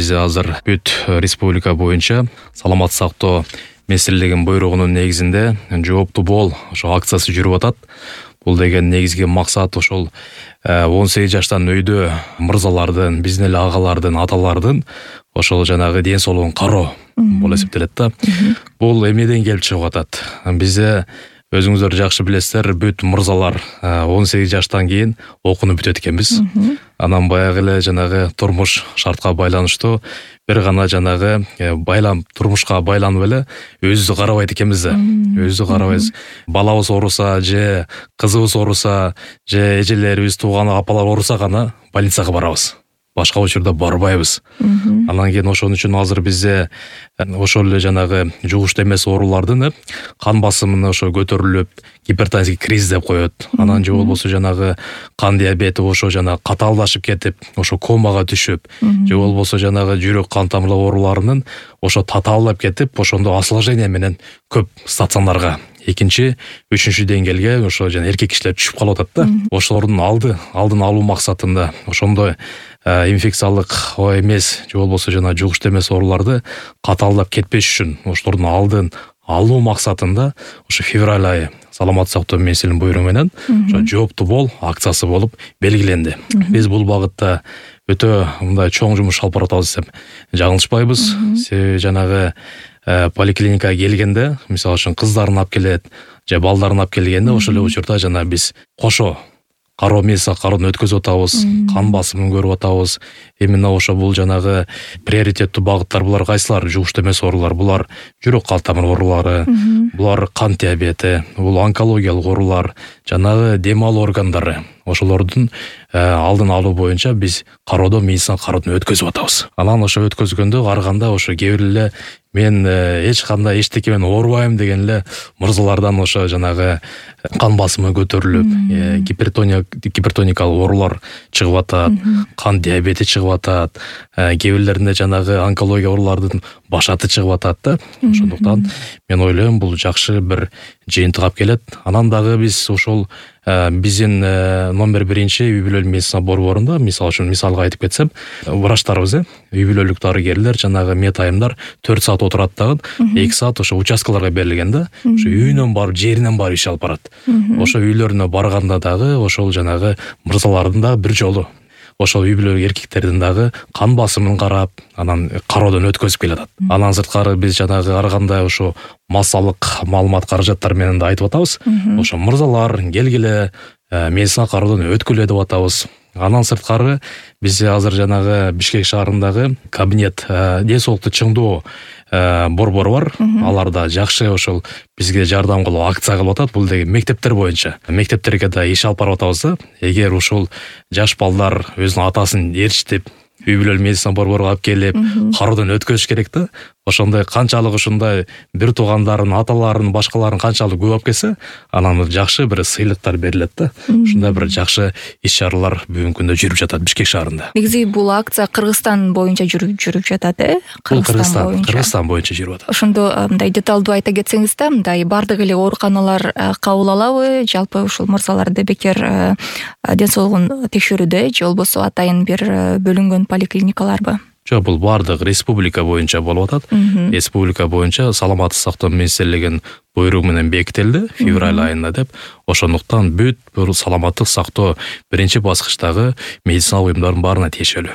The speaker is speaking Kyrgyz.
Бизде азыр бүт республика боюнча саламаттык сактоо министрлигинин буйругунун негизинде жооптуу бол ошо акциясы жүрүп атат. Бул деген негизги максат ошол 18 жаштан өйдө мырзалардын, биздин эле агалардын, аталардын ошол жанагы ден соолугун кароо болуп эсептелет да. Бул эмнеден келип чыгып атат? Бизде өзүңүздөр жакшы билесиздер, бүт мырзалар 18 жаштан кийин окунуп бүтөт экенбиз. Анан баягы эле жанагы турмуш шартка байланыштуу бир гана жанагы турмушка байланып эле өзүбүздү карабайт экенбиз да. Өзүбүздү карабайбыз. Балабыз ооруса же кызыбыз ооруса же эжелерибиз, тууган апалар ооруса гана больницага барабыз. Башка учурда барбайбыз. Анан кийин ошон үчүн азыр бизде ошол эле жанагы жугуштуу эмес оорулардын кан басымын ошо көтөрүлүп, гипертонический криз деп коет. Анан же болбосо жанагы кан диабети ошо жана катаалдашып кетип, ошо комага түшүп, же болбосо жанагы жүрөк кан тамырлар ооруларынын ошо татаалдап кетип, ошондо осложнение менен көп стационарга экинчи, үчүнчү деңгээлге ошо жана эркек кишилер түшүп калып атат да. Ошолордун алдын алуу максатында ошондой инфекциялык эмес же болбосо жана жугуштуу эмес ооруларды катаалдап кетпеш үчүн ошолордун алдын алуу максатында ошо февраль айы саламаттык сактоо министрлигинин буйругу менен ошо жооптуу бол акциясы болуп белгиленди. Биз бул багытта өтө мындай чоң жумуш алып баратабыз десем жаңылышпайбыз. Себеби жанагы поликлиникага келгенде, мисалы үчүн кыздарын алып келет, же балдарын алып келгенде ошол эле учурда жана биз кошо медицина кароодон өткөзүп атабыз, кан басымын көрүп атабыз. Именно ошо бул жанагы приоритеттүү багыттар булар кайсылар? Жугуштуу эмес оорулар, булар жүрөк кан тамыр оорулары, булар кант диабети, бул онкологиялык оорулар, жанагы дем алуу органдары. Ошолордун алдын алуу боюнча биз медицина кароодон өткөзүп атабыз. Анан ошо өткөзгөндө караганда ошо кээ бир эле мен эч кандай эчтеке менен оорубайм деген эле мырзалардан ошо жанагы кан басымы көтөрүлүп, гипертоникалык оорулар чыгып атат, кан диабети чыгып атат, кээ бирлеринде жанагы онкология оорулардын башаты чыгып атат да. Ошондуктан мен ойлойм бул жакшы бир жыйынтык алып келет. Анан дагы биз ошол биздин номер 1 үй бүлөлүк медицина борборунда, мисалга айтып кетсем, врачтарыбыз, үй бүлөлүк дарыгерлер, жанагы медайымдар 4 саат отурат дагы, 2 саат ошо участкаларга берилген да. Ошо үйүнөн барып, жеринен барып иш алып барат. Ошо үйлөрүнө барганда дагы ошол жанагы мырзалардын да бир жолу ошол үй бүлөлүк эркектердин дагы кан басымын карап, анан кароодон өткөзүп келатат. Анан сырткары биз жанагы ар кандай ошо массалык маалымат каражаттар менен да айтып атабыз. Ошо мырзалар келгиле медицина кароодон өткүлө деп атабыз. Анан сырткары бизде азыр жанагы Бишкек шаарындагы кабинет ден соолукту чыңдоо борбору бар. Алар да жакшы ошол бизге жардам кылып акция кылып атат. Бул деген мектептер боюнча. Мектептерге да иш алып барып атабыз да. Эгер ушул жаш балдар өзүнүн атасын ээрчитип, үй бүлөлүк медицина борборуга алып келип, кароодон өткөзүш керек да. Ошондой канчалык ушундай бир туугандарын, аталарын, башкаларын канчалык көп алып келсе, анан жакшы бир сыйлыктар берилет да. Ушундай бир жакшы иш-чаралар бүгүнкү күндө жүрүп жатат Бишкек шаарында. Негизи бул акция Кыргызстан боюнча жүрүп жатат, Кыргызстан боюнча жүрүп атат. Ошондо мындай деталдуу айта кетсеңиз да, мындай бардык эле ооруканалар кабыл алабы, жалпы ушул мырзаларды бекер ден соолугун текшерүүдө же болбосо атайын бир бөлүнгөн поликлиникаларбы? Жок, бул бардык республика боюнча болуп атат. Республика боюнча саламаттык сактоо министрлигинин буйругу менен бекитилди февраль айында деп. Ошондуктан бүт бул саламаттык сактоо биринчи баскычтагы медицина уюмдардын баарына тиешелүү.